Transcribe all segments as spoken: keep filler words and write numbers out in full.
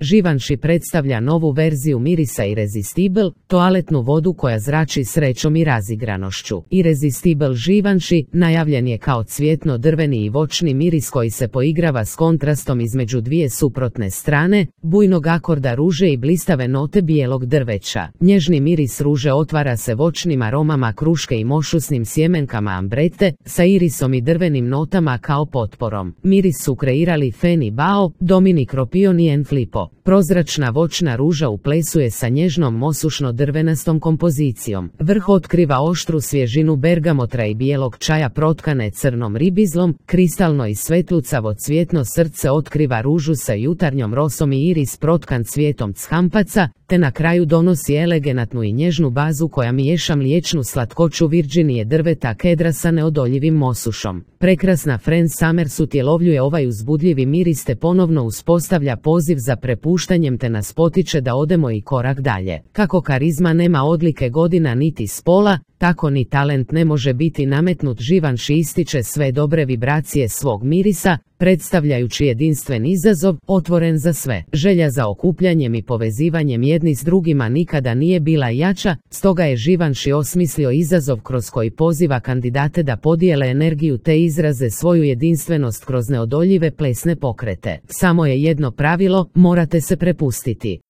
Givenchy predstavlja novu verziju mirisa Irresistible, toaletnu vodu koja zrači srećom i razigranošću. Irresistible Givenchy najavljen je kao cvjetno-drveni i voćni miris koji se poigrava s kontrastom između dvije suprotne strane, bujnog akorda ruže i blistave note bijelog drveća. Nježni miris ruže otvara se voćnim aromama kruške i mošusnim sjemenkama ambrete, sa irisom i drvenim notama kao potporom. Miris su kreirali Fanny Bao, Dominic Ropion i Anne Filippo. Prozračna voćna ruža uplesuje sa nježnom mosušno-drvenastom kompozicijom. Vrh otkriva oštru svježinu bergamotra i bijelog čaja protkane crnom ribizlom, kristalno i svetlucavo cvjetno srce otkriva ružu sa jutarnjom rosom i iris protkan cvijetom champaca, te na kraju donosi eleganatnu i nježnu bazu koja miješa mliječnu slatkoću Virginije drveta kedra sa neodoljivim mosušom. Prekrasna Fran Summers utjelovljuje ovaj uzbudljivi miris te ponovno uspostavlja poziv za prepuštanjem te nas potiče da odemo i korak dalje. Kako karizma nema odlike godina niti spola, tako ni talent ne može biti nametnut. Givenchy ističe sve dobre vibracije svog mirisa, predstavljajući jedinstven izazov, otvoren za sve. Želja za okupljanjem i povezivanjem jedni s drugima nikada nije bila jača, stoga je Givenchy osmislio izazov kroz koji poziva kandidate da podijele energiju te izraze svoju jedinstvenost kroz neodoljive plesne pokrete. Samo je jedno pravilo, morate se prepustiti.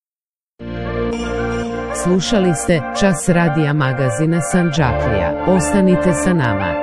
Slušali ste Čas radija magazina Sanđaklija. Ostanite sa nama.